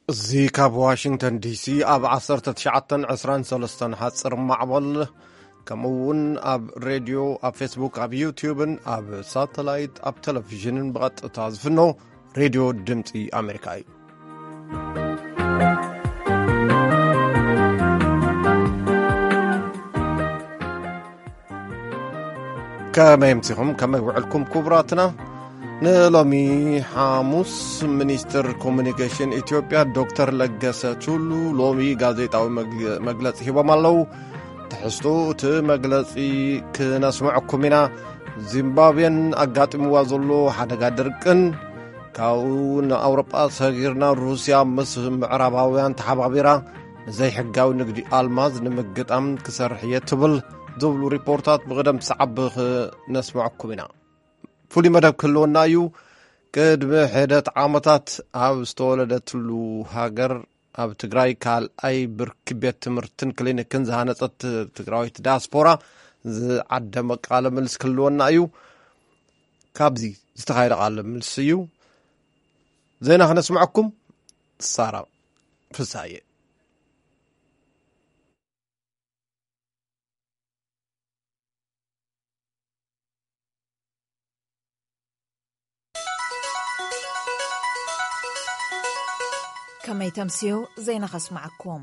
እዚ ካብ ዋሽንግተን ዲሲ ኣብ ዓሰርተ ትሽዓተን ዕስራን ሰለስተን ሓጽር ማዕበል፣ ከምኡ እውን ኣብ ሬድዮ፣ ኣብ ፌስቡክ፣ ኣብ ዩትዩብን ኣብ ሳተላይት፣ ኣብ ቴሌቪዥንን ብቐጥታ ዝፍኖ ሬድዮ ድምፂ ኣሜሪካ እዩ። ከመይ ኣምሲኹም፣ ከመይ ውዕልኩም ክቡራትና? ንሎሚ ሓሙስ፣ ሚኒስትር ኮሙኒኬሽን ኢትዮጵያ ዶክተር ለገሰ ቱሉ ሎሚ ጋዜጣዊ መግለ-፣ መግለጺ ሂቦም ኣለዉ። ትሕዝቶ እቲ መግለጺ ክነስምዐኩም ኢና። ዚምባብዌን ኣጋጢምዋ ዘሎ ሓደጋ ድርቅን፣ ካብኡ ንኣውሮጳ ሰጊርና፣ ሩስያ ምስ ምዕራባውያን ተሓባቢራ ዘይሕጋዊ ንግዲ ኣልማዝ ንምግጣም ክሰርሕ እየ ትብል ዝብሉ ሪፖርታት ብቕደም ሰዓብ ክነስምዐኩም ኢና። ፍሉይ መደብ ክህልወና እዩ። ቅድሚ ሕደት ዓመታት ኣብ ዝተወለደትሉ ሃገር፣ ኣብ ትግራይ፣ ካልኣይ ብርኪ ቤት ትምህርትን ክሊኒክን ዝሃነጸት ትግራዊት ዲያስፖራ ዝዓደመ ቃለ ምልስ ክህልወና እዩ። ካብዚ ዝተኻየደ ቃለ ምልስ እዩ ዜና ክነስምዐኩም። ሳራ ፍሳየ። ከመይ ተምስዩ ዜና ከስምዓኩም።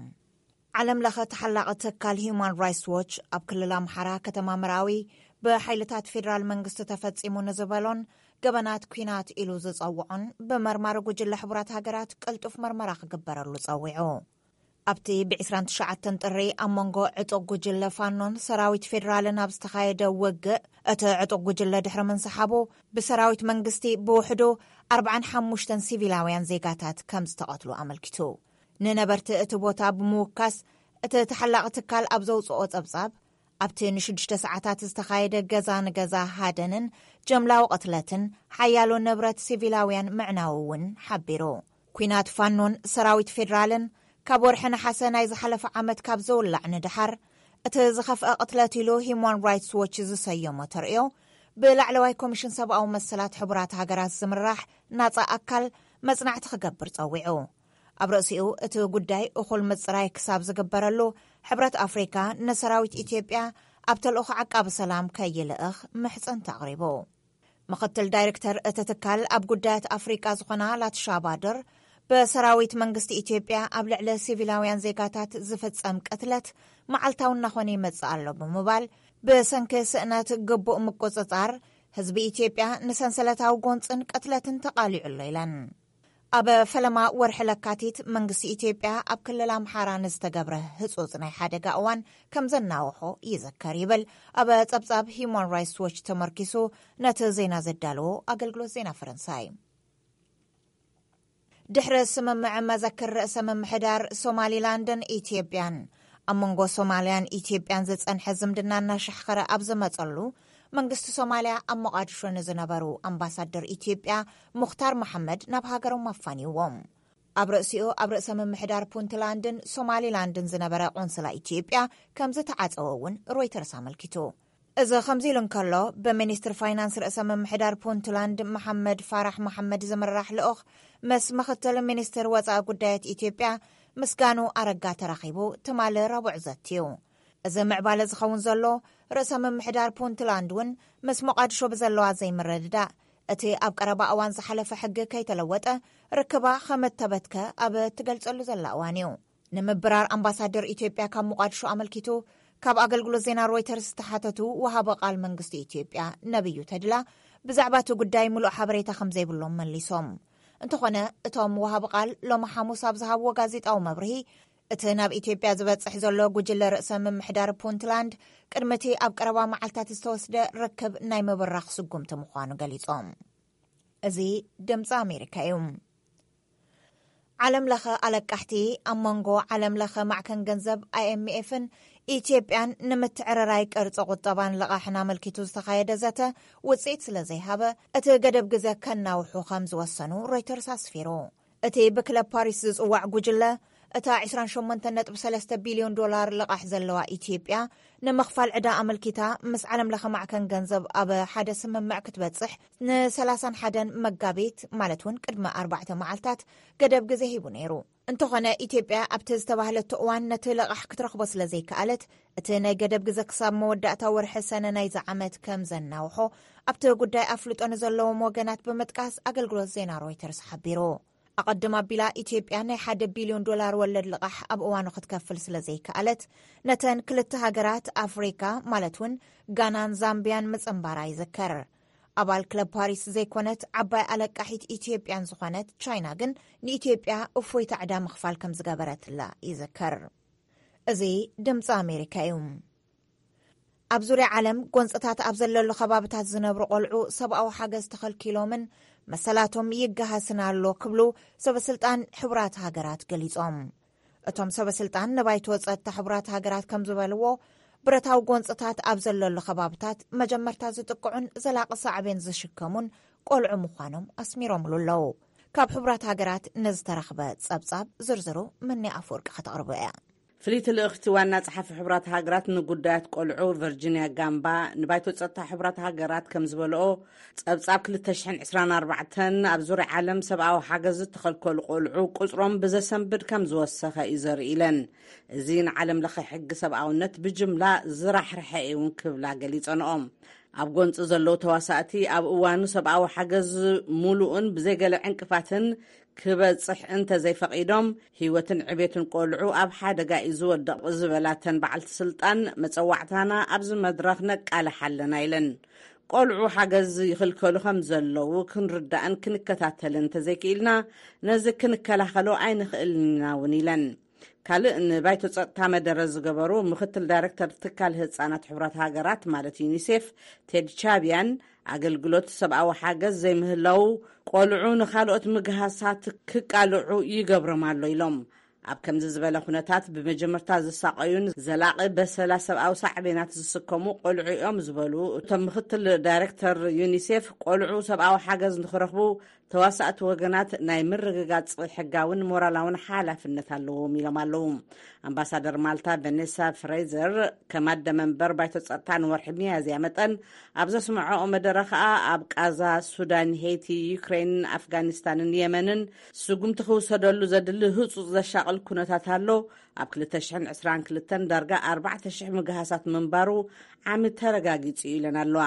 ዓለም ለኸ ተሓላቒ ትካል ሂዩማን ራይትስ ዎች ኣብ ክልል ኣምሓራ ከተማ መራዊ ብሓይልታት ፌዴራል መንግስቲ ተፈጺሙ ንዝበሎን ገበናት ኲናት ኢሉ ዝጸውዖን ብመርማሪ ጉጅለ ሕቡራት ሃገራት ቅልጡፍ መርመራ ክግበረሉ ጸዊዑ። ኣብቲ ብ ዕስራን ትሽዓተን ጥሪ ኣብ መንጎ ዕጡቕ ጉጅለ ፋኖን ሰራዊት ፌዴራልን ኣብ ዝተኻየደ ውግእ፣ እቲ ዕጡቕ ጉጅለ ድሕሪ ምንስሓቡ፣ ብሰራዊት መንግስቲ ብውሕዱ ኣርባዓን ሓሙሽተን ሲቪላውያን ዜጋታት ከም ዝተቐትሉ ኣመልኪቱ። ንነበርቲ እቲ ቦታ ብምውካስ፣ እቲ ተሓላቒ ትካል ኣብ ዘውጽኦ ጸብጻብ፣ ኣብቲ ንሽዱሽተ ሰዓታት ዝተኻየደ ገዛ ንገዛ ሃደንን ጀምላዊ ቅትለትን፣ ሓያሎ ንብረት ሲቪላውያን ምዕናዉ እውን ሓቢሩ። ኲናት ፋኖን ሰራዊት ፌዴራልን ካብ ወርሒ ነሓሰ ናይ ዝሓለፈ ዓመት ካብ ዝውላዕ ንደሓር፣ እቲ ዝኸፍአ ቅትለት ኢሉ ሂዩማን ራይትስ ዎች ዝሰየሞ ተርእዮ፣ ብላዕለዋይ ኮሚሽን ሰብኣዊ መሰላት ሕቡራት ሃገራት ዝምራሕ ናጻ ኣካል መጽናዕቲ ክገብር ጸዊዑ። ኣብ ርእሲኡ፣ እቲ ጉዳይ እኹል ምጽራይ ክሳብ ዝግበረሉ፣ ሕብረት ኣፍሪካ ንሰራዊት ኢትዮጵያ ኣብ ተልእኾ ዓቃቢ ሰላም ከይልእኽ ምሕጽንታ ኣቕሪቡ። ምኽትል ዳይሬክተር እቲ ትካል ኣብ ጉዳያት ኣፍሪቃ ዝኾና ላትሻ ባድር፣ ብሰራዊት መንግስቲ ኢትዮጵያ ኣብ ልዕሊ ሲቪላውያን ዜጋታት ዝፍጸም ቅትለት መዓልታዊ እናኾነ ይመጽእ ኣሎ ብምባል፣ ብሰንኪ ስእነት ግቡእ ምቁጽጻር፣ ህዝቢ ኢትዮጵያ ንሰንሰለታዊ ጎንጽን ቅትለትን ተቓሊዑ ኣሎ ኢለን። ኣብ ፈለማ ወርሒ ለካቲት፣ መንግስቲ ኢትዮጵያ ኣብ ክልል ኣምሓራ ንዝተገብረ ህጹጽ ናይ ሓደጋ እዋን ከም ዘናውሖ ይዝከር ይብል ኣብ ጸብጻብ ሂዩማን ራይትስ ዎች ተመርኪሱ ነቲ ዜና ዘዳለዎ ኣገልግሎት ዜና ፈረንሳይ። ድሕሪ ስምምዕ መዘክር ርእሰ ምምሕዳር ሶማሊላንድን ኢትዮጵያን፣ ኣብ መንጎ ሶማልያን ኢትዮጵያን ዝጸንሐ ዝምድና እናሻሕኸረ ኣብ ዝመጸሉ፣ መንግስቲ ሶማልያ ኣብ ሞቓድሾ ንዝነበሩ ኣምባሳደር ኢትዮጵያ ሙኽታር መሓመድ ናብ ሃገሮም ኣፋንይዎም። ኣብ ርእሲኡ፣ ኣብ ርእሰ ምምሕዳር ፑንትላንድን ሶማሊላንድን ዝነበረ ቆንስላ ኢትዮጵያ ከም ዝተዓጸወ እውን ሮይተርስ ኣመልኪቱ። እዚ ከምዚ ኢሉ እንከሎ፣ ብሚኒስትር ፋይናንስ ርእሰ ምምሕዳር ፑንትላንድ መሓመድ ፋራሕ መሓመድ ዝምራሕ ልኡኽ ምስ ምኽትል ሚኒስትር ወጻኢ ጉዳያት ኢትዮጵያ ምስጋኑ ኣረጋ ተራኺቡ ትማሊ ረቡዕ ዘትዩ። እዚ ምዕባለ ዝኸውን ዘሎ፣ ርእሰ ምምሕዳር ፑንትላንድ እውን ምስ ሞቓድሾ ብዘለዋ ዘይምርድዳእ፣ እቲ ኣብ ቀረባ እዋን ዝሓለፈ ሕጊ ከይተለወጠ ርክባ ከም እተበትከ ኣብ እትገልጸሉ ዘላ እዋን እዩ። ንምብራር ኣምባሳደር ኢትዮጵያ ካብ ሞቓድሾ ኣመልኪቱ ካብ ኣገልግሎት ዜና ሮይተርስ ዝተሓተቱ ወሃቢ ቃል መንግስቲ ኢትዮጵያ ነብዩ ተድላ ብዛዕባ እቲ ጉዳይ ምሉእ ሓበሬታ ከም ዘይብሎም መሊሶም። እንተኾነ፣ እቶም ወሃቢ ቃል ሎሚ ሓሙስ ኣብ ዝሃብዎ ጋዜጣዊ መብርሂ፣ እቲ ናብ ኢትዮጵያ ዝበጽሕ ዘሎ ጉጅለ ርእሰ ምምሕዳር ፑንትላንድ ቅድሚ እቲ ኣብ ቀረባ መዓልታት ዝተወስደ ርክብ ናይ ምብራኽ ስጉምቲ ምዃኑ ገሊጾም። እዚ ድምፂ ኣሜሪካ እዩ። ዓለም ለኸ ኣለቃሕቲ ኣብ መንጎ ዓለም ለኸ ማዕከን ገንዘብ ኣይኤምኤፍን ኢትዮጵያን ንምትዕርራይ ቅርፂ ቁጠባን ልቓሕን ኣመልኪቱ ዝተኻየደ ዘተ ውፅኢት ስለ ዘይሃበ፣ እቲ ገደብ ግዜ ከናውሑ ከም ዝወሰኑ ሮይተርስ ኣስፊሩ። እቲ ብክለብ ፓሪስ ዝፅዋዕ ጉጅለ፣ እታ ዕስራን ሸሞንተን ነጥቢ ሰለስተ ቢልዮን ዶላር ልቓሕ ዘለዋ ኢትዮጵያ፣ ንምኽፋል ዕዳ ኣመልኪታ ምስ ዓለም ለኸ ማዕከን ገንዘብ ኣብ ሓደ ስምምዕ ክትበጽሕ፣ ን30ን ሓደን መጋቢት፣ ማለት እውን ቅድሚ ኣርባዕተ መዓልታት፣ ገደብ ግዜ ሂቡ ነይሩ። እንተኾነ፣ ኢትዮጵያ ኣብቲ ዝተባህለቶ እዋን ነቲ ልቓሕ ክትረኽቦ ስለ ዘይከኣለት፣ እቲ ናይ ገደብ ግዜ ክሳብ መወዳእታ ወርሒ ሰነ ናይዚ ዓመት ከም ዘናውሖ፣ ኣብቲ ጉዳይ ኣፍልጦ ንዘለዎም ወገናት ብምጥቃስ ኣገልግሎት ዜና ሮይተርስ ሓቢሩ። ኣቐድም ኣቢላ፣ ኢትዮጵያ ናይ ሓደ ቢልዮን ዶላር ወለድ ልቓሕ ኣብ እዋኑ ክትከፍል ስለ ዘይከኣለት፣ ነተን ክልተ ሃገራት ኣፍሪካ፣ ማለት እውን ጋናን ዛምቢያን ምጽንባራ ይዝከር። ኣባል ክለብ ፓሪስ ዘይኮነት ዓባይ ኣለቃሒት ኢትዮጵያን ዝኾነት ቻይና ግን፣ ንኢትዮጵያ እፎይታ ዕዳ ምኽፋል ከም ዝገበረትላ ይዝከር። እዚ ድምፂ ኣሜሪካ እዩ። ኣብ ዙርያ ዓለም ጎንፅታት ኣብ ዘለሉ ከባብታት ዝነብሩ ቆልዑ ሰብኣዊ ሓገዝ ተኸልኪሎምን መሰላቶም ይገሃስን ኣሎ ክብሉ ሰበስልጣን ሕቡራት ሃገራት ገሊጾም። እቶም ሰበስልጣን ንባይቶ ጸጥታ ሕቡራት ሃገራት ከም ዝበልዎ፣ ብረታዊ ጎንፅታት ኣብ ዘለሉ ከባብታት መጀመርታ ዝጥቅዑን ዘላቒ ሳዕቤን ዝሽከሙን ቆልዑ ምዃኖም ኣስሚሮምሉ ኣለዉ። ካብ ሕቡራት ሃገራት ንዝተረኽበ ጸብጻብ ዝርዝሩ ምኒ ኣፈወርቂ ከተቕርቦ እያ። ፍልይቲ ልእኽቲ ዋና ጸሓፊ ሕቡራት ሃገራት ንጉዳያት ቆልዑ ቨርጂንያ ጋምባ ንባይቶ ጸጥታ ሕቡራት ሃገራት ከም ዝበልኦ፣ ጸብጻብ ክልተ ሽሕን ዕስራን ኣርባዕተን ኣብ ዙርያ ዓለም ሰብኣዊ ሓገዝ ዝተኸልከሉ ቆልዑ ቁጽሮም ብዘሰንብድ ከም ዝወሰኸ እዩ ዘርኢ ኢለን። እዚ ንዓለም ለኸ ሕጊ ሰብኣውነት ብጅምላ ዝራሕርሐ እዩ እውን ክብላ ገሊጸንኦም። ኣብ ጎንፂ ዘለዉ ተዋሳእቲ ኣብ እዋኑ ሰብኣዊ ሓገዝ ሙሉእን ብዘይገለ ዕንቅፋትን ክበፅሕ እንተዘይፈቒዶም፣ ህይወትን ዕቤትን ቆልዑ ኣብ ሓደጋ እዩ ዝወድቕ ዝበላተን በዓልቲ ስልጣን፣ መፀዋዕታና ኣብዚ መድረኽ ነቃልሕ ኣለና ኢለን። ቆልዑ ሓገዝ ይኽልከሉ ከም ዘለዉ ክንርዳእን ክንከታተልን እንተዘይክኢልና፣ ነዚ ክንከላኸሎ ኣይንኽእልን ኢና እውን ኢለን። ካልእ ንባይቶ ጸጥታ መደረ ዝገበሩ ምኽትል ዳይሬክተር ትካል ህጻናት ሕቡራት ሃገራት፣ ማለት ዩኒሴፍ፣ ቴድ ቻቢያን፣ ኣገልግሎት ሰብኣዊ ሓገዝ ዘይምህላው ቆልዑ ንኻልኦት ምግሃሳት ክቃልዑ ይገብሮም ኣሎ ኢሎም። ኣብ ከምዚ ዝበለ ኩነታት፣ ብመጀመርታ ዝሳቐዩን ዘላቒ በሰላ ሰብኣዊ ሳዕቤናት ዝስከሙ ቆልዑ እዮም ዝበሉ እቶም ምኽትል ዳይሬክተር ዩኒሴፍ፣ ቆልዑ ሰብኣዊ ሓገዝ ንኽረኽቡ ተዋሳእቲ ወገናት ናይ ምርግጋጽ ሕጋውን ሞራላውን ሓላፍነት ኣለዎም ኢሎም ኣለዉ። ኣምባሳደር ማልታ ቨኔሳ ፍሬዘር፣ ከም ኣደ መንበር ባይቶ ጸጥታ ንወርሒ ሚያዝያ መጠን ኣብ ዘስምዐኦ መደረ ከኣ፣ ኣብ ቃዛ፣ ሱዳን፣ ሄይቲ፣ ዩክሬን፣ ኣፍጋኒስታንን የመንን ስጉምቲ ክውሰደሉ ዘድሊ ህጹጽ ዘሻቕል ኩነታት ኣሎ። ኣብ ክልተ ሽሕን ዕስራን ክልተን ዳርጋ ኣርባዕተ ሽሕ ምግሃሳት ምንባሩ ዓሚ ተረጋጊጹ እዩ ኢለን ኣለዋ።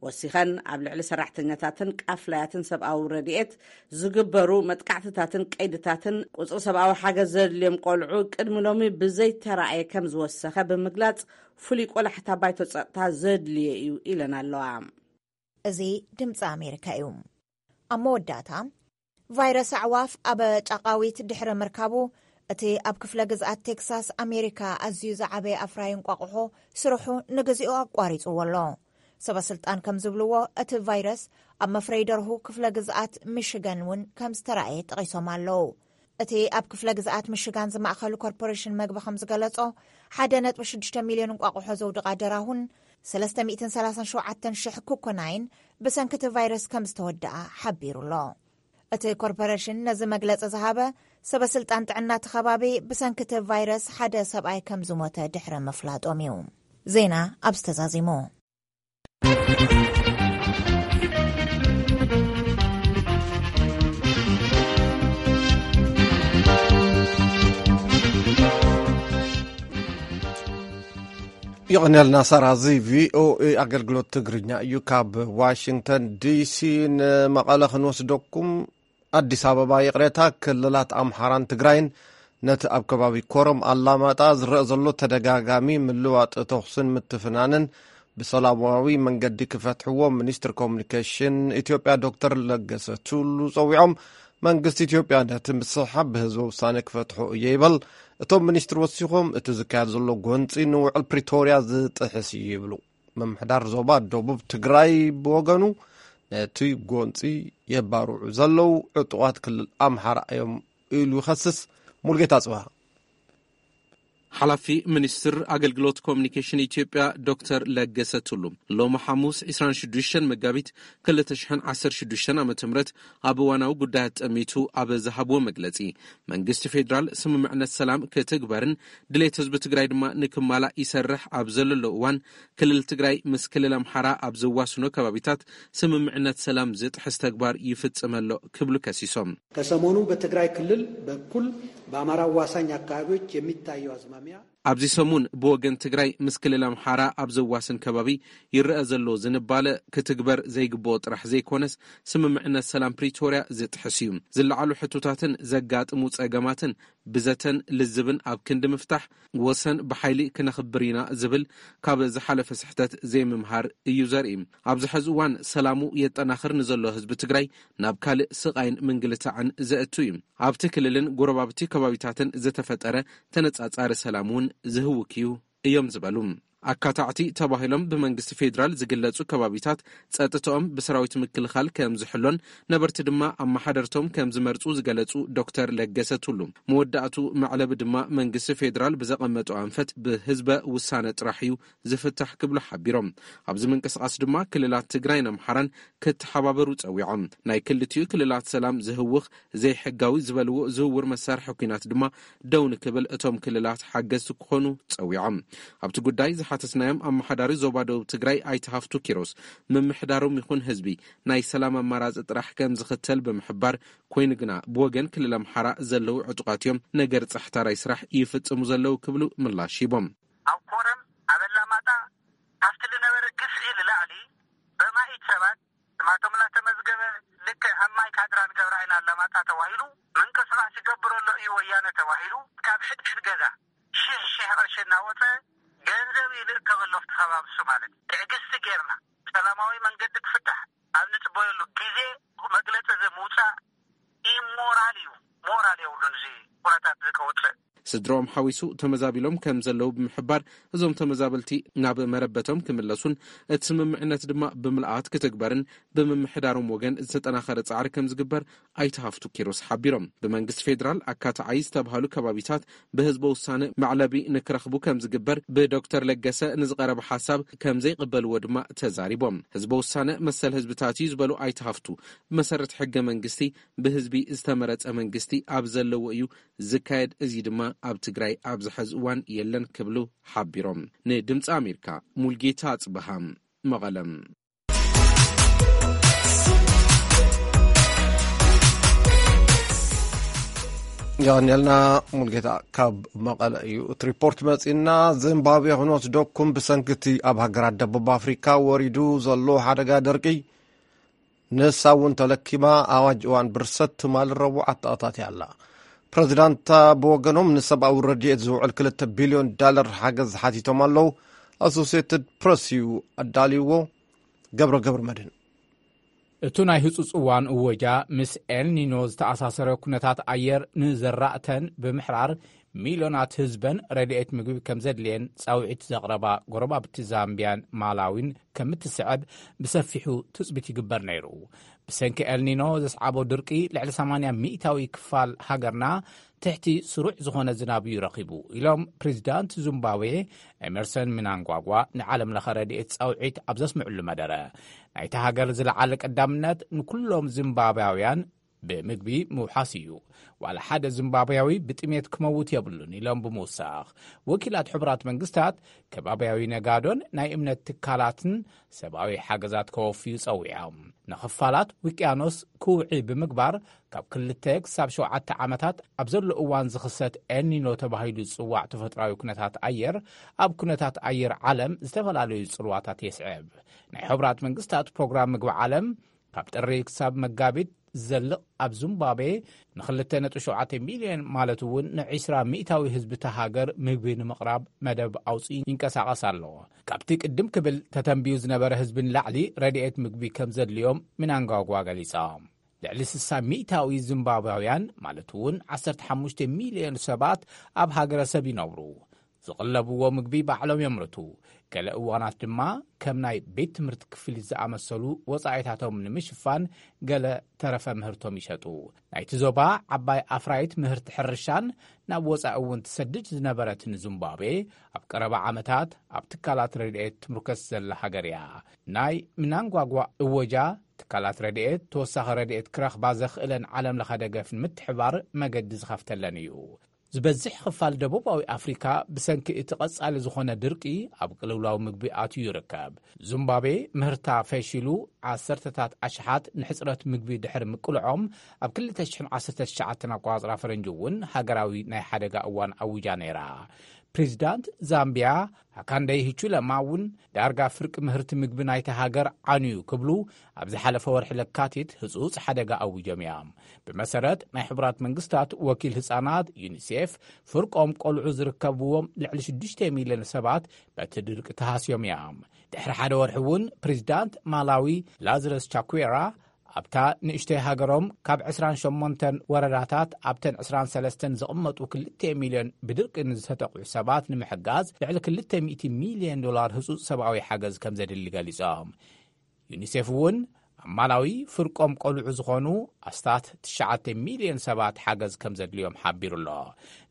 ወሲኸን፣ ኣብ ልዕሊ ሰራሕተኛታትን ቃፍላያትን ሰብኣዊ ረድኤት ዝግበሩ መጥቃዕትታትን ቀይድታትን፣ ቁጽሪ ሰብኣዊ ሓገዝ ዘድልዮም ቆልዑ ቅድሚ ሎሚ ብዘይተራእየ ከም ዝወሰኸ ብምግላጽ፣ ፍሉይ ቆላሕታ ባይቶ ጸጥታ ዘድልዮ እዩ ኢለን ኣለዋ። እዚ ድምፂ ኣሜሪካ እዩ። ኣብ መወዳእታ፣ ቫይረስ ኣዕዋፍ ኣብ ጫቃዊት ድሕሪ ምርካቡ፣ እቲ ኣብ ክፍለ ግዝኣት ቴክሳስ ኣሜሪካ ኣዝዩ ዝዓበየ ኣፍራይ እንቋቑሖ ስርሑ ንግዚኡ ኣቋሪጽዎ ኣሎ። ሰበ ስልጣን ከም ዝብልዎ፣ እቲ ቫይረስ ኣብ መፍረይ ደርሁ ክፍለ ግዝኣት ሚሽገን እውን ከም ዝተራእየ ጠቒሶም ኣለዉ። እቲ ኣብ ክፍለ ግዝኣት ሚሽጋን ዝማእኸሉ ኮርፖሬሽን መግቢ ከም ዝገለጾ፣ ሓደ ነጥቢ ሽዱሽተ ሚልዮን እንቋቑሖ ዘውድቓ ደራሁን ሰለስተ ሚእትን ሰላሳን ሸውዓተን ሽሕ ኩኮናይን ብሰንኪ እቲ ቫይረስ ከም ዝተወድኣ ሓቢሩ ኣሎ። እቲ ኮርፖሬሽን ነዚ መግለጺ ዝሃበ፣ ሰበ ስልጣን ጥዕና እቲ ከባቢ ብሰንኪ እቲ ቫይረስ ሓደ ሰብኣይ ከም ዝሞተ ድሕሪ ምፍላጦም እዩ። ዜና ኣብዚ ተዛዚሙ። ይቕንየልና ሳራ። እዚ ቪኦኤ ኣገልግሎት ትግርኛ እዩ። ካብ ዋሽንግተን ዲሲ ንመቐለ ክንወስደኩም። ኣዲስ ኣበባ፣ ይቕሬታ፣ ክልላት ኣምሓራን ትግራይን ነቲ ኣብ ከባቢ ኮረም ኣላማጣ ዝረአ ዘሎ ተደጋጋሚ ምልዋጥ ተኹስን ምትፍናንን ብሰላማዊ መንገዲ ክፈትሕዎ ሚኒስትር ኮሙኒኬሽን ኢትዮጵያ ዶክተር ለገሰ ቱሉ ጸዊዖም። መንግስቲ ኢትዮጵያ ነቲ ምስሕሓብ ብህዝበ ውሳነ ክፈትሖ እየ ይበል። እቶም ሚኒስትር ወሲኾም፣ እቲ ዝካየድ ዘሎ ጎንጺ ንውዕል ፕሪቶርያ ዝጥሕስ እዩ ይብሉ። ምምሕዳር ዞባ ደቡብ ትግራይ ብወገኑ፣ ነቲ ጎንጺ የባርዑ ዘለዉ ዕጡቓት ክልል ኣምሓራ እዮም ኢሉ ይኸስስ። ሙሉጌታ ጽባ። ሓላፊ ሚኒስትር ኣገልግሎት ኮሚኒኬሽን ኢትዮጵያ ዶክተር ለገሰ ቱሉ ሎሚ ሓሙስ ዕስራን ሽዱሽተን መጋቢት ክልተ ሽሕን ዓሰርተ ሽዱሽተን ዓመተ ምህረት ኣብ እዋናዊ ጉዳያት ጠሚቱ ኣብ ዝሃብዎ መግለጺ፣ መንግስቲ ፌዴራል ስምምዕነት ሰላም ክትግበርን ድሌት ህዝቢ ትግራይ ድማ ንክማላእ ይሰርሕ ኣብ ዘለሎ እዋን፣ ክልል ትግራይ ምስ ክልል ኣምሓራ ኣብ ዘዋስኖ ከባቢታት ስምምዕነት ሰላም ዝጥሕስ ተግባር ይፍጽም ኣሎ ክብሉ ከሲሶም። ከሰሞኑ በትግራይ ክልል በኩል በአማራ አዋሳኝ አካባቢዎች የሚታየው አዝማሚያ ኣብዚ ሰሙን ብወገን ትግራይ ምስ ክልል ኣምሓራ ኣብ ዘዋስን ከባቢ ይረአ ዘሎ ዝንባለ ክትግበር ዘይግብኦ ጥራሕ ዘይኮነስ፣ ስምምዕነት ሰላም ፕሪቶርያ ዝጥሕስ እዩ። ዝለዓሉ ሕቶታትን ዘጋጥሙ ጸገማትን ብዘተን ልዝብን ኣብ ክንዲ ምፍታሕ፣ ወሰን ብሓይሊ ክነኽብር ኢና ዝብል ካብ ዝሓለፈ ስሕተት ዘይምምሃር እዩ ዘርኢ። ኣብዚ ሕዚ እዋን ሰላሙ የጠናኽር ንዘሎ ህዝቢ ትግራይ ናብ ካልእ ስቓይን ምንግልታዕን ዘእቱ እዩ። ኣብቲ ክልልን ጎረባብቲ ከባቢታትን ዝተፈጠረ ተነጻጻሪ ሰላም እውን ዝህውክ እዩ እዮም ዝበሉ። ኣካታዕቲ ተባሂሎም ብመንግስቲ ፌዴራል ዝግለጹ ከባቢታት ጸጥታኦም ብሰራዊት ምክልኻል ከም ዝሕሎን ነበርቲ ድማ ኣመሓደርቶም ከም ዝመርጹ ዝገለጹ ዶክተር ለገሰ ቱሉ፣ መወዳእቱ መዕለቢ ድማ መንግስቲ ፌዴራል ብዘቐመጦ ኣንፈት ብህዝበ ውሳነ ጥራሕ እዩ ዝፍታሕ ክብሉ ሓቢሮም። ኣብዚ ምንቅስቓስ ድማ ክልላት ትግራይን ኣምሓራን ክተሓባበሩ ጸዊዖም። ናይ ክልቲኡ ክልላት ሰላም ዝህውኽ ዘይሕጋዊ ዝበልዎ ዝውውር መሳርሒ ኲናት ድማ ደው ንክብል እቶም ክልላት ሓገዝቲ ክኾኑ ጸዊዖም። ኣብቲ ጉዳይ ዝሓተትናዮም ኣመሓዳሪ ዞባ ደቡብ ትግራይ ኣይተ ሃፍቱ ኪሮስ፣ ምምሕዳሮም ይኹን ህዝቢ ናይ ሰላም ኣማራጺ ጥራሕ ከም ዝኽተል ብምሕባር፣ ኮይኑ ግና ብወገን ክልል ኣምሓራ ዘለዉ ዕጡቓት እዮም ነገር ጻሕታራይ ስራሕ ይፍጽሙ ዘለዉ ክብሉ ምላሽ ሂቦም። ኣብ ኮረም፣ ኣብ ኣላማጣ፣ ካብቲ ዝነበረ ግፍዒ ንላዕሊ በማኢት ሰባት ስማቶም እናተመዝገበ፣ ልክዕ ከም ማይ ካድራ ንገብራ ኢና ኣላማጣ ተባሂሉ ምንቅስቓስ ይገብር ኣሎ እዩ ወያነ ተባሂሉ፣ ካብ ሕድሕድ ገዛ ሽሕ ሽሕ ቅርሺ እናወፀ ገንዘብ ይልእከበሉ ኣብቲ ከባቢ እሱ ማለት እዩ። ትዕግስቲ ጌርና ሰላማዊ መንገዲ ክፍታሕ ኣብ ንፅበየሉ ግዜ መግለፂ እዚ ምውፃእ ኢሞራል እዩ። ሞራል የብሉን እዚ ኩነታት እዚ ከውፅእ። ስድሮኦም ሓዊሱ ተመዛቢሎም ከም ዘለዉ ብምሕባር፣ እዞም ተመዛበልቲ ናብ መረበቶም ክምለሱን እቲ ስምምዕነት ድማ ብምልኣት ክትግበርን ብምምሕዳሮም ወገን ዝተጠናኸረ ጻዕሪ ከም ዝግበር ኣይተ ሃፍቱ ኪሮስ ሓቢሮም። ብመንግስቲ ፌዴራል ኣካታዓይ ዝተባሃሉ ከባቢታት ብህዝበ ውሳነ መዕለቢ ንክረኽቡ ከም ዝግበር ብዶክተር ለገሰ ንዝቐረበ ሓሳብ ከም ዘይቕበልዎ ድማ ተዛሪቦም። ህዝበ ውሳነ መሰል ህዝብታት እዩ ዝበሉ ኣይተ ሃፍቱ፣ ብመሰረት ሕገ መንግስቲ ብህዝቢ ዝተመረጸ መንግስቲ ኣብ ዘለዎ እዩ ዝካየድ፣ እዚ ድማ ኣብ ትግራይ ኣብዚ ሐዚ እዋን የለን ክብሉ ሓቢሮም። ንድምፂ ኣሜሪካ ሙልጌታ ኣጽበሃ፣ መቐለም። የቐንየልና ሙልጌታ ካብ መቐለ እዩ እቲ ሪፖርት መጺእና። ዚምባብዌ ክንወስደኩም፣ ብሰንኪ እቲ ኣብ ሃገራት ደቡብ ኣፍሪካ ወሪዱ ዘሎ ሓደጋ ደርቂ ንሳ እውን ተለኪማ ኣዋጅ እዋን ብርሰት ትማሊ ረቡዕ ኣተኣታትያ ኣላ። ፕረዚዳንታ ብወገኖም ንሰብኣዊ ረድኤት ዝውዕል ክልተ ቢልዮን ዳለር ሓገዝ ሓቲቶም ኣለዉ። ኣሶሴትድ ፕረስ እዩ ኣዳልይዎ። ገብረ ገብረ መድህን። እቱ ናይ ህጹጽ እዋን እወጃ ምስ ኤልኒኖ ዝተኣሳሰረ ኩነታት ኣየር ንዘራእተን ብምሕራር፣ ሚልዮናት ህዝበን ረድኤት ምግቢ ከም ዘድልየን ጻውዒት ዘቕረባ ጎረባብቲ ዛምቢያን ማላዊን ከም እትስዕብ ብሰፊሑ ትጽቢት ይግበር ነይሩ። ብሰንኪ ኤልኒኖ ዘስዓቦ ድርቂ ልዕሊ ሰማንያ ሚእታዊ ክፋል ሃገርና ትሕቲ ስሩዕ ዝኾነ ዝናብ እዩ ረኺቡ ኢሎም ፕሬዚዳንት ዚምባብዌ ኤመርሰን ምናንጓጓ ንዓለም ለኸ ረድኤት ጻውዒት ኣብ ዘስምዕሉ መደረ። ናይቲ ሃገር ዝለዓለ ቀዳምነት ንኩሎም ዚምባብያውያን ብምግቢ ምውሓስ እዩ። ዋላ ሓደ ዚምባብያዊ ብጥሜት ክመውት የብሉን ኢሎም ብምውሳኽ፣ ወኪላት ሕቡራት መንግስታት ከባብያዊ ነጋዶን ናይ እምነት ትካላትን ሰብኣዊ ሓገዛት ከወፍዩ ጸዊዖም። ንኽፋላት ውቅያኖስ ክውዒ ብምግባር ካብ ክልተ ክሳብ ሸውዓተ ዓመታት ኣብ ዘሎ እዋን ዝኽሰት ኤልኒኖ ተባሂሉ ዝጽዋዕ ተፈጥራዊ ኩነታት ኣየር ኣብ ኩነታት ኣየር ዓለም ዝተፈላለዩ ጽልዋታት የስዕብ። ናይ ሕቡራት መንግስታት ፕሮግራም ምግቢ ዓለም ካብ ጥሪ ክሳብ መጋቢት ዝዘልቕ ኣብ ዚምባብዌ ንክልተ ነጥቢ ሸውዓተ ሚልዮን ማለት እውን ንዒስራ ሚእታዊ ህዝቢ እታ ሃገር ምግቢ ንምቕራብ መደብ ኣውፂኡ ይንቀሳቐስ ኣሎ። ካብቲ ቅድም ክብል ተተንብዩ ዝነበረ ህዝቢ ንላዕሊ ረድኤት ምግቢ ከም ዘድልዮም ምናንጋጓ ገሊፆም። ልዕሊ ስሳ ሚእታዊ ዚምባብያውያን ማለት እውን ዓሰርተ ሓሙሽተ ሚልዮን ሰባት ኣብ ሃገረሰብ ይነብሩ። ዝቕለብዎ ምግቢ ባዕሎም የምርቱ። ገለ እዋናት ድማ ከም ናይ ቤት ትምህርቲ ክፍሊት ዝኣመሰሉ ወጻኢታቶም ንምሽፋን ገለ ተረፈ ምህርቶም ይሸጡ። ናይቲ ዞባ ዓባይ ኣፍራይት ምህርቲ ሕርሻን ናብ ወጻኢ እውን ትሰድድ ዝነበረትን ዚምባብዌ፣ ኣብ ቀረባ ዓመታት ኣብ ትካላት ረድኤት ትምርኮስ ዘላ ሃገር እያ። ናይ ምናንጓጓ እወጃ፣ ትካላት ረድኤት ተወሳኺ ረድኤት ክረኽባ ዘኽእለን ዓለም ለኸ ደገፍ ንምትሕባር መገዲ ዝኸፍተለን እዩ። ዝበዝሕ ክፋል ደቡባዊ ኣፍሪካ ብሰንኪ እቲ ቀጻሊ ዝኾነ ድርቂ ኣብ ቅልውላው ምግቢ ኣትዩ ይርከብ። ዙምባቤ ምህርታ ፈሺሉ፣ ዓሰርተታት ኣሽሓት ንሕጽረት ምግቢ ድሕሪ ምቅልዖም፣ ኣብ ክልተ ሽሕን ዓሰርተ ትሽዓተን ኣቆጻጽራ ፈረንጂ እውን ሃገራዊ ናይ ሓደጋ እዋን ኣዊጃ ነይራ። ፕሬዚዳንት ዛምቢያ ሃካንደይ ሂቹለማ እውን ዳርጋ ፍርቂ ምህርቲ ምግቢ ናይታ ሃገር ዓንዩ ክብሉ ኣብ ዝሓለፈ ወርሒ ለካቲት ህጹጽ ሓደጋ ኣዊጆም እዮም። ብመሰረት ናይ ሕቡራት መንግስታት ወኪል ህጻናት ዩኒሴፍ፣ ፍርቆም ቆልዑ ዝርከብዎም ልዕሊ ሽዱሽተ ሚልዮን ሰባት በቲ ድርቂ ተሃስዮም እዮም። ድሕሪ ሓደ ወርሒ እውን ፕሬዚዳንት ማላዊ ላዝረስ ቻኩዌራ ኣብታ ንእሽተይ ሃገሮም ካብ ዕስራን ሸሞንተን ወረዳታት ኣብተን ዕስራን ሰለስተን ዝቕመጡ ክልተ ሚልዮን ብድርቂ ንዝተጠቕዑ ሰባት ንምሕጋዝ ልዕሊ ክልተ ሚእቲ ሚልዮን ዶላር ህጹጽ ሰብኣዊ ሓገዝ ከም ዘድሊ ገሊጾም። ዩኒሴፍ እውን ኣብ ማላዊ ፍርቆም ቆልዑ ዝኾኑ ኣስታት ትሽዓተ ሚልዮን ሰባት ሓገዝ ከም ዘድልዮም ሓቢሩ ኣሎ።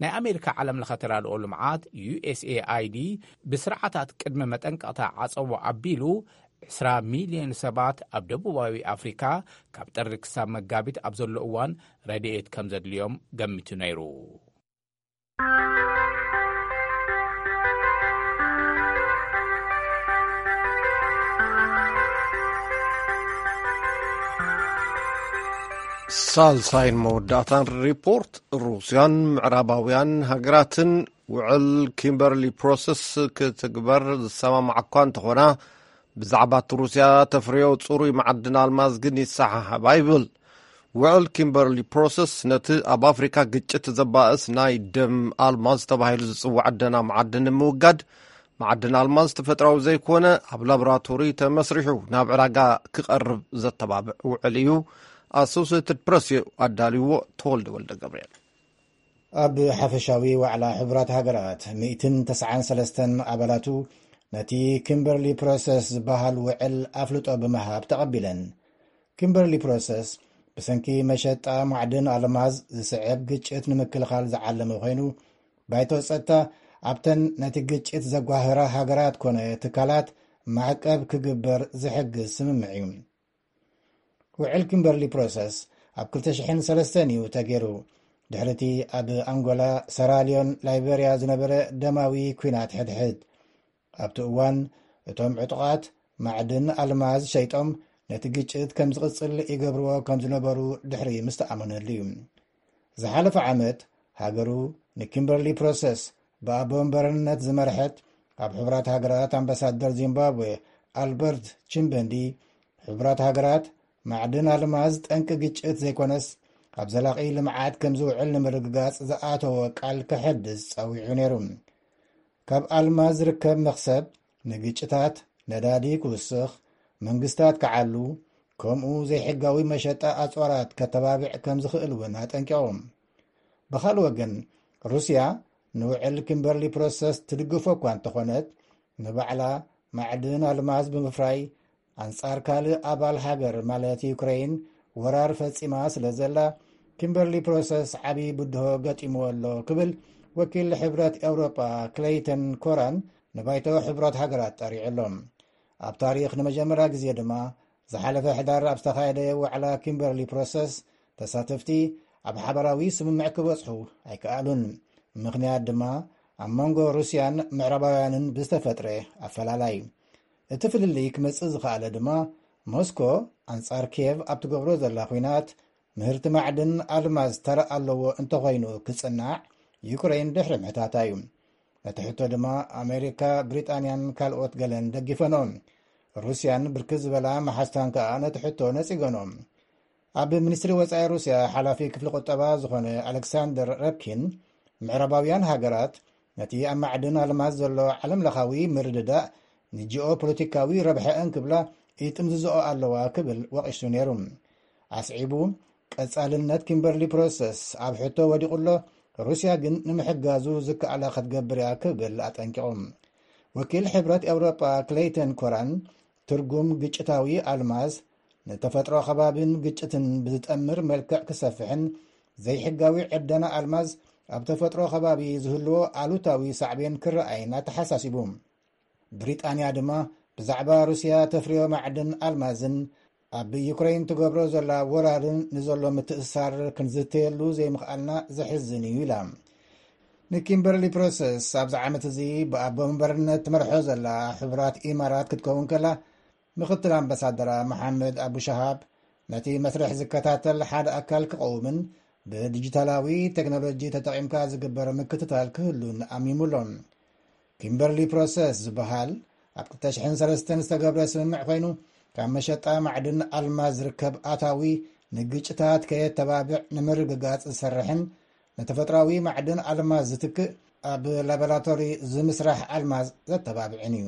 ናይ ኣሜሪካ ዓለም ለኸ ተራድኦ ልምዓት ዩ ኤስ ኤ ኣይ ዲ ብስርዓታት ቅድመ መጠንቀቕታ ዓጸቦ ኣቢሉ ዕስራ ሚልዮን ሰባት ኣብ ደቡባዊ ኣፍሪካ ካብ ጥሪ ክሳብ መጋቢት ኣብ ዘሎ እዋን ረድኤት ከም ዘድልዮም ገሚቱ ነይሩ። ሳልሳይን መወዳእታን ሪፖርት፣ ሩስያን ምዕራባውያን ሃገራትን ውዕል ኪምበርሊ ፕሮሰስ ክትግበር ዝሰማማዓ እኳ እንተኾና፣ ብዛዕባ እቲ ሩስያ ተፍርዮ ጽሩይ መዓድን ኣልማዝ ግን ይሰሓሓባ ይብል። ውዕል ኪምበርሊ ፕሮሰስ ነቲ ኣብ ኣፍሪካ ግጭት ዘባእስ ናይ ደም ኣልማዝ ተባሂሉ ዝጽዋዕ ደና መዓድን ንምውጋድ፣ መዓድን ኣልማዝ ተፈጥራዊ ዘይኮነ ኣብ ላቦራቶሪ ተመስሪሑ ናብ ዕዳጋ ክቐርብ ዘተባብዕ ውዕል እዩ። ኣሶሴትድ ፕረስ እዩ ኣዳልዎ። ተወልደ ወልደ ገብርኤል። ኣብ ሓፈሻዊ ዋዕላ ሕቡራት ሃገራት፣ ሚእትን ተስዓን ሰለስተን ኣባላቱ ነቲ ኪምበርሊ ፕሮሰስ ዝበሃል ውዕል ኣፍልጦ ብምሃብ ተቐቢለን። ኪምበርሊ ፕሮሰስ ብሰንኪ መሸጣ ማዕድን ኣልማዝ ዝስዕብ ግጭት ንምክልኻል ዝዓለመ ኮይኑ፣ ባይቶ ጸጥታ ኣብተን ነቲ ግጭት ዘጓህራ ሃገራት ኮነ ትካላት ማዕቀብ ክግበር ዝሕግዝ ስምምዕ እዩ። ውዕል ኪምበርሊ ፕሮሰስ ኣብ ክልተ ሽሕን ሰለስተን እዩ ተገይሩ። ድሕሪቲ ኣብ ኣንጎላ፣ ሰራልዮን ላይቤርያ ዝነበረ ደማዊ ኲናት ሕድሕድ፣ ኣብቲ እዋን እቶም ዕጡቓት ማዕድን ኣልማዝ ሸይጦም ነቲ ግጭት ከም ዝቕጽል ይገብርዎ ከም ዝነበሩ ድሕሪ ምስ ተኣመነሉ እዩ። ዝሓለፈ ዓመት ሃገሩ ንኪምበርሊ ፕሮሰስ ብኣቦ ወንበርነት ዝመርሐት ኣብ ሕቡራት ሃገራት ኣምባሳደር ዚምባብዌ ኣልበርት ቺምበንዲ፣ ሕቡራት ሃገራት ማዕድን ኣልማዝ ጠንቂ ግጭት ዘይኮነስ ኣብ ዘላቒ ልምዓት ከም ዝውዕል ንምርግጋጽ ዝኣተዎ ቃል ከሐድስ ጸዊዑ ነይሩ። ካብ ኣልማዝ ዝርከብ መኽሰብ ንግጭታት፣ ነዳዲ ክውስኽ፣ መንግስታት ክዓሉ፣ ከምኡ ዘይሕጋዊ መሸጣ ኣጽዋራት ከተባብዕ ከም ዝኽእል እውን ኣጠንቂቖም። ብኻልእ ወገን፣ ሩስያ ንውዕል ኪምበርሊ ፕሮሰስ ትድግፎ እኳ እንተኾነት፣ ንባዕላ ማዕድን ኣልማዝ ብምፍራይ ኣንጻር ካልእ ኣባል ሃገር ማለት ዩክሬን ወራር ፈጺማ ስለ ዘላ፣ ኪምበርሊ ፕሮሰስ ዓቢ ብድሆ ገጢምዎ ኣሎ ክብል ወኪል ሕብረት ኤውሮጳ ክለይተን ኮራን ንባይቶ ሕቡራት ሃገራት ጠሪዑ ኣሎ። ኣብ ታሪኽ ንመጀመርያ ግዜ ድማ ዝሓለፈ ሕዳር ኣብ ዝተኻየደ ዋዕላ ኪምበርሊ ፕሮሰስ ተሳተፍቲ ኣብ ሓባራዊ ስምምዕ ክበጽሑ ኣይከኣሉን። ምኽንያት ድማ ኣብ መንጎ ሩስያን ምዕራባውያንን ብዝተፈጥረ ኣፈላላይ። እቲ ፍልልይ ክመጽእ ዝኸኣለ ድማ ሞስኮ ኣንጻር ኪየቭ ኣብ ትገብሮ ዘላ ኲናት ምህርቲ ማዕድን ኣልማዝ ተራ ኣለዎ እንተኾይኑ ክጽናዕ ዩክሬን ድሕሪ ምሕታታ እዩ። ነቲ ሕቶ ድማ ኣሜሪካ፣ ብሪጣንያን ካልኦት ገለን ደጊፈንኦ። ሩስያን ብርክት ዝበላ መሓዝታን ከኣ ነቲ ሕቶ ነጺገንኦ። ኣብ ሚኒስትሪ ወጻኢ ሩስያ ሓላፊ ክፍሊ ቁጠባ ዝኾነ ኣሌክሳንደር ረብኪን፣ ምዕራባውያን ሃገራት ነቲ ኣብ ማዕድን ኣልማዝ ዘሎ ዓለምለኻዊ ምርድዳእ ንጂኦ ፖለቲካዊ ረብሐአን ክብላ ይጥምዝዝኦ ኣለዋ ክብል ወቒሱ ነይሩ። ኣስዒቡ፣ ቀጻልነት ኪምበርሊ ፕሮሰስ ኣብ ሕቶ ወዲቑ ኣሎ፣ ሩስያ ግን ንምሕጋዙ ዝከኣላ ክትገብር እያ ክብል ኣጠንቂቑ። ወኪል ሕብረት ኤውሮጳ ክለይተን ኮራን ትርጉም ግጭታዊ ኣልማዝ ንተፈጥሮ ከባቢን ግጭትን ብዝጠምር መልክዕ ክሰፍሕን ዘይሕጋዊ ዕደና ኣልማዝ ኣብ ተፈጥሮ ከባቢ ዝህልዎ ኣሉታዊ ሳዕቤን ክረኣይን ኣተሓሳሲቡ። ብሪጣንያ ድማ ብዛዕባ ሩስያ ተፍርዮ ማዕድን ኣልማዝን ኣብ ዩክሬን ትገብሮ ዘላ ወራርን ንዘሎ ምትእሳር ክንዝተየሉ ዘይምኽኣልና ዘሕዝን እዩ ኢላ። ንኪምበርሊ ፕሮሰስ ኣብዚ ዓመት እዚ ብኣቦ መንበርነት ትመርሖ ዘላ ሕቡራት ኢማራት ክትከውን ከላ፣ ምኽትል ኣምባሳደራ መሓመድ ኣቡ ሸሃብ ነቲ መስርሕ ዝከታተል ሓደ ኣካል ክቐውምን ብዲጂታላዊ ቴክኖሎጂ ተጠቒምካ ዝግበር ምክትታል ክህሉን ኣሚሙ ኣሎ። ኪምበርሊ ፕሮሰስ ዝበሃል ኣብ ክልተ ሽሕን ሰለስተን ዝተገብረ ስምምዕ ኮይኑ፣ ካብ መሸጣ ማዕድን ኣልማዝ ዝርከብ ኣታዊ ንግጭታት ከየተባብዕ ንምርግጋጽ ዝሰርሕን ንተፈጥራዊ ማዕድን ኣልማዝ ዝትክእ ኣብ ላቦራቶሪ ዝምስራሕ ኣልማዝ ዘተባብዕን እዩ።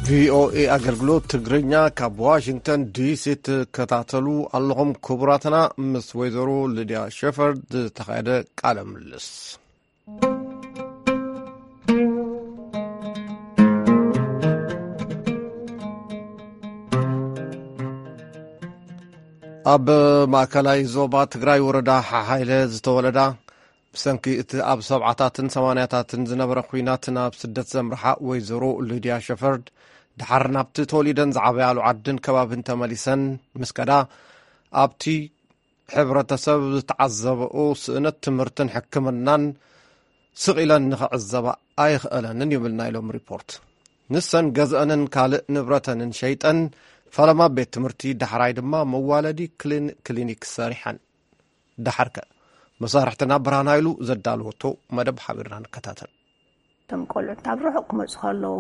ቪኦኤ ኣገልግሎት ትግርኛ ካብ ዋሽንግተን ዲሲ ትከታተሉ ኣለኹም። ክቡራትና፣ ምስ ወይዘሮ ሊድያ ሸፈርድ ዝተኻየደ ቃለ ምልልስ። ኣብ ማእከላይ ዞባ ትግራይ ወረዳ ሓሓይለ ዝተወለዳ፣ ብሰንኪ እቲ ኣብ ሰብዓታትን ሰማንያታትን ዝነበረ ኲናት ናብ ስደት ዘምርሓ ወይዘሮ ሊድያ ሸፈርድ፣ ድሓር ናብቲ ተወሊደን ዝዓበያሉ ዓድን ከባብን ተመሊሰን ምስ ከዳ፣ ኣብቲ ሕብረተሰብ ዝተዓዘበኦ ስእነት ትምህርትን ሕክምናን ስቕ ኢለን ንኽዕዘባ ኣይኽእለንን ይብል ናይ ሎም ሪፖርት። ንሰን ገዝአንን ካልእ ንብረተንን ሸይጠን፣ ፈለማ ቤት ትምህርቲ፣ ዳሕራይ ድማ መዋለዲ ክሊን-፣ ክሊኒክ ሰሪሐን። ደሓርከ፣ መሳርሕትና ብርሃን ሃይሉ ዘዳለወቶ መደብ ሓቢርና ንከታተል። እቶም ቆልዑት ኣብ ርሑቕ ክመጹ ከለዉ፣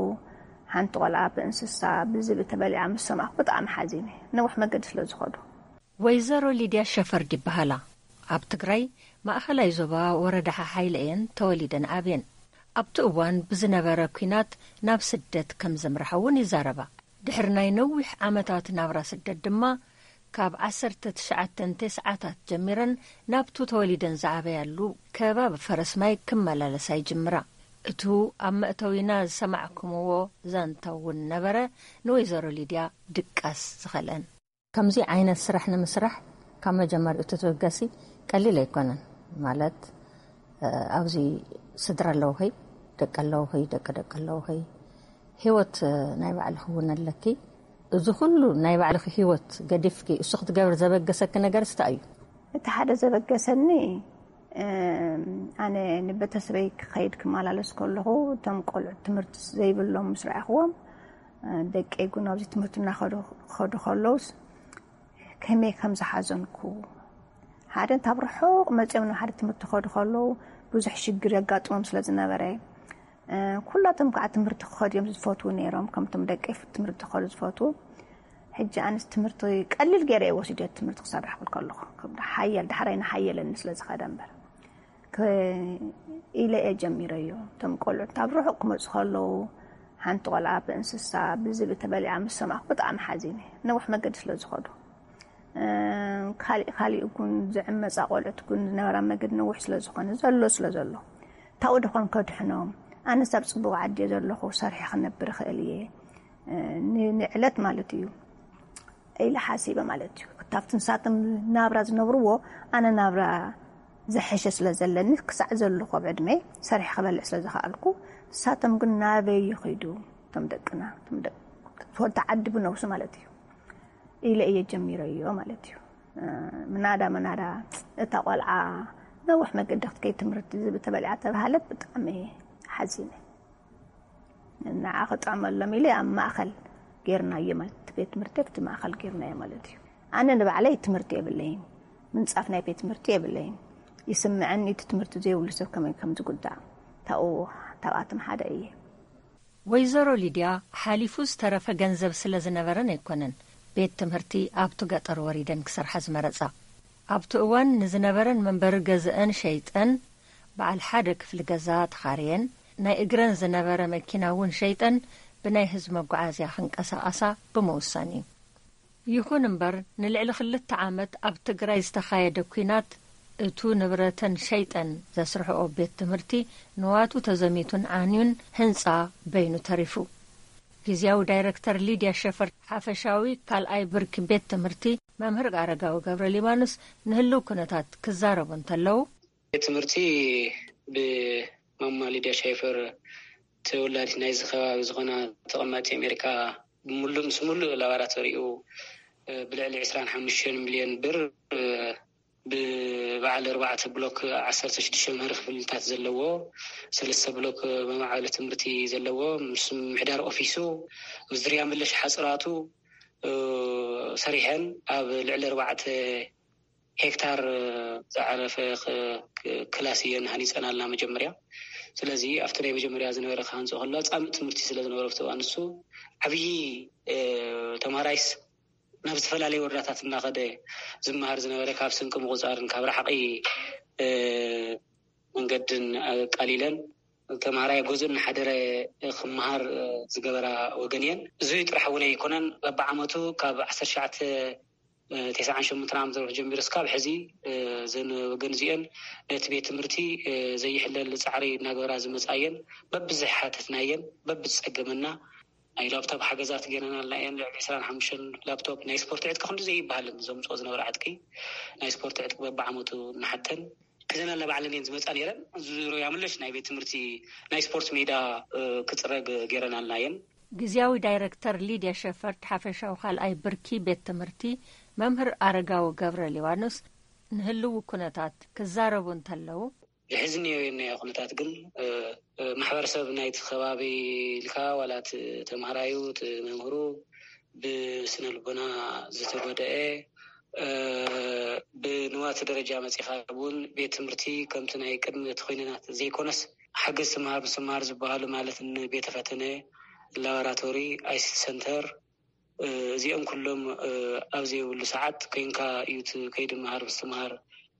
ሓንቲ ቆልዓ ብእንስሳ፣ ብዝቢ ተበሊዓ ምስ ሰማዕኩ ብጣዕሚ ሓዚነ። ነዊሕ መገዲ ስለ ዝኸዱ። ወይዘሮ ሊድያ ሸፈርድ ይበሃላ። ኣብ ትግራይ ማእኸላይ ዞባ ወረዳ ሓሓይለ እየን ተወሊደን ዓብየን። ኣብቲ እዋን ብዝነበረ ኲናት ናብ ስደት ከም ዘምርሓ እውን ይዛረባ። ድሕሪ ናይ ነዊሕ ዓመታት ናብራ ስደት ድማ ካብ ዓሰርተ ትሽዓተ ተስዓታት ጀሚረን ናብቱ ተወሊደን ዝዓበያሉ ከባቢ ፈረስማይ ክመላለሳ ይጅምራ። እቱ ኣብ መእተዊና ዝሰማዕኩምዎ ዛንታ እውን ነበረ፣ ንወይዘሮ ሊድያ ድቃስ ዝኸልአን። ከምዚ ዓይነት ስራሕ ንምስራሕ ካብ መጀመሪኡ ትትበገሲ ቀሊል ኣይኮነን። ማለት፣ እ፣ ኣብዚ ስድራ ኣለውኸይ፣ ደቂ ኣለውኸይ፣ ደቂ ደቂ ኣለውኸይ፣ ህይወት፣ እ፣ ናይ ባዕልኺ እውን ኣለኪ። እዚ ኩሉ ናይ ባዕልኺ ህይወት ገዲፍኪ እሱ ክትገብር ዘበገሰኪ ነገር እንታይ እዩ? እቲ ሓደ ዘበገሰኒ፣ እም፣ ኣነ ንቤተሰበይ ክኸይድ ክመላለስ ከለኹ፣ እቶም ቆልዑት ትምህርቲ ዘይብሎም ምስ ረኣኽዎም፣ እ፣ ደቀይ እውን ኣብዚ ትምህርቲ እናኸዱ፣ ክኸዱ ከለውስ፣ ከመይ ከም ዝሓዘንኩ። ሓደ እንታብ ርሑቕ መጺኦም ናብ ሓደ ትምህርቲ ክኸዱ ከለዉ፣ ብዙሕ ሽግር የጋጥሞም ስለ ዝነበረ፣ እ፣ ኩላቶም ከዓ ትምህርቲ ክኸዱ እዮም ዝፈትዉ ነይሮም፣ ከምቶም ደቀይ ትምህርቲ ክኸዱ ዝፈትዉ። ሕጂ ኣነስ ትምህርቲ ቀሊል ገይረ እየ ወሲደ ትምህርቲ ክሰርሕ ክብል ከለኹ፣ ከም ሓያል፣ ዳሕራይ እናሓየለኒ ስለ ዝኸደ እምበር። ከ-፣ ኢለ እየ ጀሚረዮ። እቶም ቆልዑት ኣብ ርሑቕ ክመጹ ከለዉ፣ ሓንቲ ቆልዓ ብእንስሳ፣ ብዝቢ ተበሊዓ ምስ ሰማዕኩ ብጣዕሚ ሓዚነ። ነዊሕ መገዲ ስለ ዝኸዱ። እ፣ ካሊእ፣ ካሊእ እውን ዝዕመጻ ቆልዑት እውን ዝነበራ መገዲ ነዊሕ ስለ ዝኾነ፣ ዘሎ ስለ ዘሎ። ታኡ ደኾን ከድሕኖም? ኣነስ ኣብ ጽቡቕ ዓዲ እየ ዘለኹ፣ ሰርሐ ክነብር እኽእል እየ። እ፣ ን-፣ ንዕለት ማለት እዩ። ኢለ ሓሲበ ማለት እዩ። ካብቲ ንሳቶም ናብራ ዝነብርዎ ኣነ ናብራ ዝሐሸ ስለ ዘለኒ፣ ክሳዕ ዘለኹ ኣብ ዕድመ ሰሪሐ ክበልዕ ስለ ዝኸኣልኩ፣ ንሳቶም ግን ናበይ ይኺዱ? እቶም ደቅና፣ እቶም ደቅ-፣ ትፈልቲ ዓዲ ብነብሱ ማለት እዩ። ኢለ እየ ጀሚረዮ ማለት እዩ። እ፣ ምናዳ ምናዳ እታ ቆልዓ ነዊሕ መገዲ ክትከይድ ትምህርቲ ዝብል ተበሊዓ ተባሃለት ብጣዕሚ ሓዚነ። ንዓ ክጥዕመሎም ኢለ ኣብ ማእኸል ጌርናዮ ማለት፣ እቲ ቤት ትምህርቲ ኣብቲ ማእኸል ጌርናዮ ማለት እዩ። ኣነ ንባዕለይ ትምህርቲ የብለይን፣ ምንጻፍ ናይ ቤት ትምህርቲ የብለይን። ይስምዐኒ እቲ ትምህርቲ ዘይብሉ ሰብ ከመይ ከም ዝጉዳእ፣ ታኡ፣ ታብኣቶም ሓደ እየ። ወይዘሮ ሊድያ ሓሊፉ ዝተረፈ ገንዘብ ስለ ዝነበረን ኣይኮነን ቤት ትምህርቲ ኣብቲ ገጠር ወሪደን ክሰርሓ ዝመረጻ። ኣብቲ እዋን ንዝነበረን መንበሪ ገዝአን ሸይጠን በዓል ሓደ ክፍሊ ገዛ ተኻርየን ናይ እግረን ዝነበረ መኪና እውን ሸይጠን ብናይ ህዝቢ መጓዓዝያ ክንቀሳቐሳ ብምውሳን እዩ። ይኹን እምበር፣ ንልዕሊ ክልተ ዓመት ኣብ ትግራይ ዝተኻየደ ኲናት፣ እቱ ንብረተን ሸይጠን ዘስርሕኦ ቤት ትምህርቲ ንዋቱ ተዘሚቱን ዓንዩን ህንጻ በይኑ ተሪፉ። ግዝያዊ ዳይረክተር ሊድያ ሸፈር ሓፈሻዊ ካልኣይ ብርኪ ቤት ትምህርቲ መምህር ኣረጋዊ ገብረ ሊባኖስ ንህልው ኩነታት ክዛረቡ እንተለዉ፣ ቤት ትምህርቲ ብማማ ሊድያ ሸፈር ተወላዲት ናይዚ ከባቢ ዝኾና ተቐማጢ ኣሜሪካ፣ ብምሉእ ምስ ሙሉእ ላቦራቶሪኡ፣ እ፣ ብልዕሊ ዕስራን ሓሙሽተን ሚልዮን ብር፣ እ፣ ብበዓል ኣርባዕተ ብሎክ፣ ዓሰርተ ሽዱሽተ መምሃሪ ክፍልታት ዘለዎ፣ ሰለስተ ብሎክ መማዕበሊ ትምህርቲ ዘለዎ፣ ምስ ምምሕዳር ኦፊሱ፣ ምስ ዙርያ መለሽ ሓፅራቱ፣ እ፣ ሰሪሐን ኣብ ልዕሊ ኣርባዕተ ሄክታር ዝዓረፈ ክ-፣ ክ-፣ ክላስ እየን ሃኒፀናልና መጀመርያ። ስለዚ ኣብቲ ናይ መጀመርያ ዝነበረ ክሃንፆ ከሎ ፃምእ ትምህርቲ ስለ ዝነበረ ኣብቲ እዋን ንሱ ዓብዪ፣ እ፣ ተምሃራይስ ናብ ዝተፈላለዩ ወረዳታት እናኸደ ዝመሃር ዝነበረ፣ ካብ ስንቂ ምቑፃርን ካብ ራሕቂ፣ እ፣ መንገድን ኣቃሊለን ተምሃራይ ገዝኡ እናሓደረ ክመሃር ዝገበራ ወገን እየን። እዚ ጥራሕ እውን ኣይኮነን። በብዓመቱ ካብ ዓሰርተ ትሽዓተ ተስዓን ሸሞንተን ዓመተ ምህረት ጀሚሩ እስካብ ሕዚ፣ እዘን ወገን እዚአን ነቲ ቤት ትምህርቲ ዘይሕለል ፃዕሪ እናገበራ ዝመፃ እየን። በብዝሓተትናየን፣ በብዝፀገመና ናይ ላፕቶፕ ሓገዛት ገይረናልና እየን። ልዕሊ ዕስራን ሓሙሽተን ላፕቶፕ፣ ናይ ስፖርት ዕጥቂ ክንዲ ዘይበሃልን ዘምፅኦ ዝነበረ ዕጥቂ፣ ናይ ስፖርት ዕጥቂ በብዓመቱ እናሓተን ሒዘናልና ባዕለን እየን ዝመፃ ነይረን። ዙርያ ምለሽ ናይ ቤት ትምህርቲ ናይ ስፖርት ሜዳ፣ እ፣ ክፅረግ ገይረናልና እየን። ግዝያዊ ዳይረክተር ሊድያ ሸፈርድ ሓፈሻዊ ካልኣይ ብርኪ ቤት ትምህርቲ መምህር ኣረጋዊ ገብረ ሊባኖስ ንህልው ኩነታት ክዛረቡ እንተለዉ፣ ዝሕዝን እዮ የናዮ ኩነታት ግን፣ እ፣ እ፣ ማሕበረሰብ ናይቲ ከባቢ ኢልካ ዋላ እቲ ተምሃራዩ፣ እቲ መምህሩ ብስነ ልቦና ዝተጎደአ፣ እ፣ ብንዋት ደረጃ መፂኻ እውን ቤት ትምህርቲ ከምቲ ናይ ቅድሚ እቲ ኮይነናት ዘይኮነስ ሓገዝ ትምሃር ምስትምሃር ዝበሃሉ ማለት ንቤተ ፈተነ፣ ላቦራቶሪ፣ ኣይሲቲ ሰንተር፣ እ፣ እዚኦም ኩሎም፣ እ፣ ኣብ ዘይብሉ ሰዓት ኮይንካ እዩ እቲ ከይዲ ምሃር ምስትምሃር፣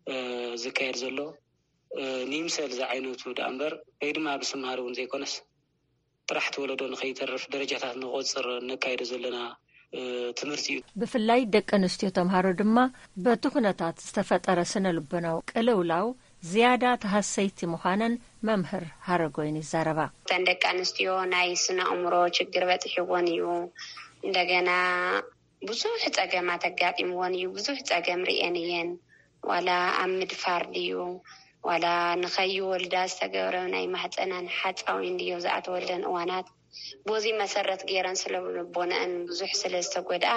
እ፣ ዝካየድ ዘሎ። እ፣ ንይምሰል ዝዓይነቱ ደኣ እምበር ከይዲ ምሃር ምስትምሃር እውን ዘይኮነስ ጥራሕ እቲ ወለዶ ንኸይተርፍ ደረጃታት ንቆፅር ነካይዶ ዘለና፣ እ፣ ትምህርቲ እዩ። ብፍላይ ደቂ ኣንስትዮ ተምሃሮ ድማ በቲ ኩነታት ዝተፈጠረ ስነ ልቦናዊ ቅልውላው ዝያዳ ተሃሰይቲ ምዃነን መምህር ሃረጎይን ይዛረባ። እተን ደቂ ኣንስትዮ ናይ ስነ ኣእምሮ ችግር በፂሕወን እዩ። እንደገና ብዙሕ ፀገማት ኣጋጢምወን እዩ። ብዙሕ ፀገም ርእየን እየን። ዋላ ኣብ ምድፋር ድዩ፣ ዋላ ንኸይወልዳ ዝተገብረ ናይ ማህፀናን ሓፃዊን ድዮ ዝኣተወለን እዋናት፣ በዚ መሰረት ገይረን ስለ ልቦነአን ብዙሕ ስለ ዝተጎድኣ፣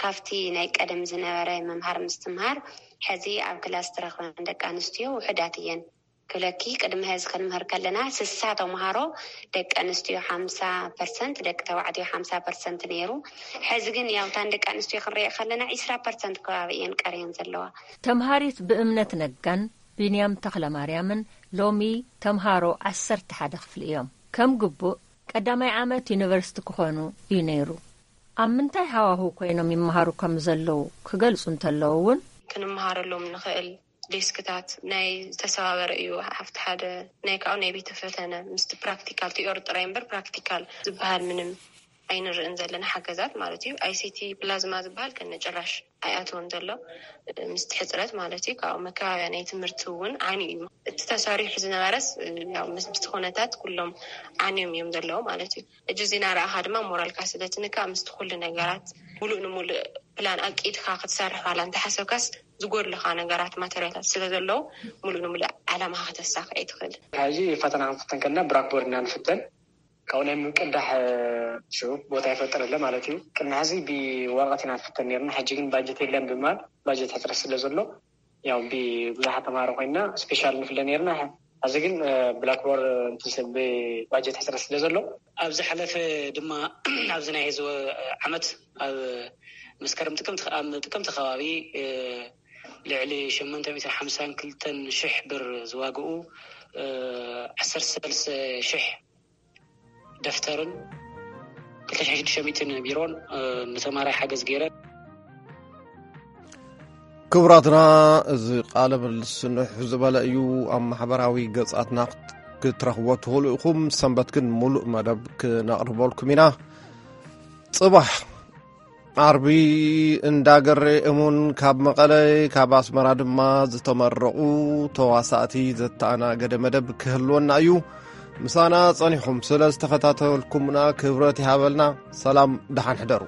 ካብቲ ናይ ቀደም ዝነበረ ምምሃር ምስትምሃር፣ ሕዚ ኣብ ክላስ ትረኽበን ደቂ ኣንስትዮ ውሑዳት እየን። ክብለኪ፣ ቅድሚ ሕዚ ክንምህር ከለና፣ ስሳ ተምሃሮ፣ ደቂ ኣንስትዮ ሓምሳ ፐርሰንት፣ ደቂ ተባዕትዮ ሓምሳ ፐርሰንት ነይሩ። ሕዚ ግን፣ ያው፣ እተን ደቂ ኣንስትዮ ክንሪኦ ከለና፣ ዒስራ ፐርሰንት ከባቢ እየን ቀርየን ዘለዋ። ተምሃሪት ብእምነት ነጋን ቢንያም ተኽለማርያምን ሎሚ ተምሃሮ ዓሰርተ ሓደ ክፍሊ እዮም። ከም ግቡእ ቀዳማይ ዓመት ዩኒቨርሲቲ ክኾኑ እዩ ነይሩ። ኣብ ምንታይ ሃዋህው ኮይኖም ይመሃሩ ከም ዘለዉ ክገልጹ እንተለዉ እውን፣ ክንመሃረሎም ንኽእል ዴስክታት ናይ ዝተሰባበረ እዩ። ኣብቲ ሓደ ናይ ካብኡ ናይ ቤተ ፈተነ ምስቲ ፕራክቲካል፣ ቲዮሪ ጥራይ እምበር ፕራክቲካል ዝበሃል ምንም ኣይንርእን ዘለና ሓገዛት ማለት እዩ። ኣይሲቲ ፕላዝማ ዝበሃል ከነ ጭራሽ ኣይኣተወን ዘሎ፣ ምስቲ ሕፅረት ማለት እዩ። ካብኡ መከባብያ ናይ ትምህርቲ እውን ዓንዩ እዩ። እቲ ተሰሪሑ ዝነበረስ፣ ያው፣ ምስ፣ ምስቲ ኩነታት ኩሎም ዓንዮም እዮም ዘለዉ ማለት እዩ። እጅ ዜና ረኣኻ ድማ ሞራልካ ስለ ትንካእ፣ ምስቲ ኩሉ ነገራት ሙሉእ ንሙሉእ ፕላን ኣቂድካ ክትሰርሕ ዋላ እንተሓሰብካስ፣ ዝጎድለኻ ነገራት፣ ማተርያላት ስለ ዘለዉ፣ ሙሉእ ንሙሉእ ዓላማኻ ከተሳኽዕ ኣይትኽእልን። ሕዚ ፈተና ክንፍተን ከለና ብላክቦርድ ኢና ንፍተን። ካብኡ ናይ ምቅዳሕ፣ እ፣ ሽዑ ቦታ ይፈጥር ኣሎ ማለት እዩ። ቅድሚ ሕዚ ብወረቐት ኢና ንፍተን ነርና። ሕጂ ግን ባጀት የለን ብምባል፣ ባጀት ሕፅረት ስለ ዘሎ፣ ያው ብብዙሓት ተምሃሮ ኮይንና ስፔሻል ንፍለ ነርና። ሕዚ ግን፣ እ፣ ብላክቦርድ፣ እንትን፣ ብባጀት ሕፅረት ስለ ዘሎ፣ ኣብ ዝሓለፈ ድማ ኣብዚ ናይ ህዝቢ ዓመት ኣብ መስከረም ጥቅምቲ፣ ኣብ ጥቅምቲ ከባቢ፣ እ፣ ልዕሊ ሸሞንተ ሚእትን ሓምሳን ክልተን ሽሕ ብር ዝዋግኡ፣ እ፣ ዓሰርተ ሰለስተ ሽሕ ደፍተርን ክልተ ሽሕን ሽዱሽተ ሚእትን ቢሮን፣ እ፣ ንተማሃራይ ሓገዝ ገይረን። ክቡራትና፣ እዚ ቃለ ምልልስ ንውሕ ዝበለ እዩ። ኣብ ማሕበራዊ ገጻትና ክት-፣ ክትረኽቦ ትኽእሉ ኢኹም። ሰንበት ግን ሙሉእ መደብ ክነቕርበልኩም ኢና። ጽባሕ ዓርቢ እንዳገሬ እሙን ካብ መቐለ፣ ካብ ኣስመራ ድማ ዝተመረቑ ተዋሳእቲ ዘተኣናገደ መደብ ክህልወና እዩ። ምሳና ጸኒኹም ስለ ዝተኸታተልኩምና ክብረት ይሃበልና። ሰላም፣ ደሓን ሕደሩ።